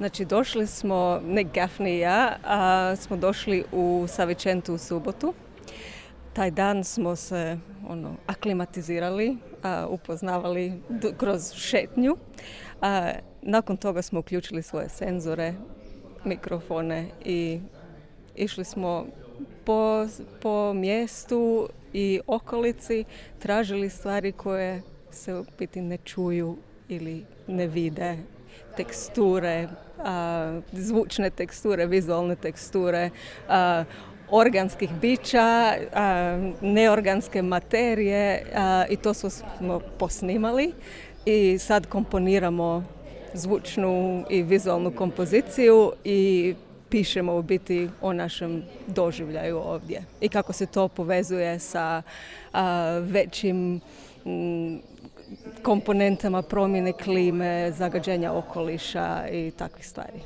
Znači došli smo, ne Gaffney i ja, smo došli u Savičentu u subotu. Taj dan smo se aklimatizirali, upoznavali kroz šetnju. Nakon toga smo uključili svoje senzore, mikrofone i išli smo po mjestu i okolici, tražili stvari koje se u biti ne čuju ili ne vide, teksture, zvučne teksture, vizualne teksture, organskih bića, neorganske materije i to smo posnimali i sad komponiramo zvučnu i vizualnu kompoziciju i pišemo u biti o našem doživljaju ovdje i kako se to povezuje sa većim komponentama promjene klime, zagađenja okoliša i takvih stvari.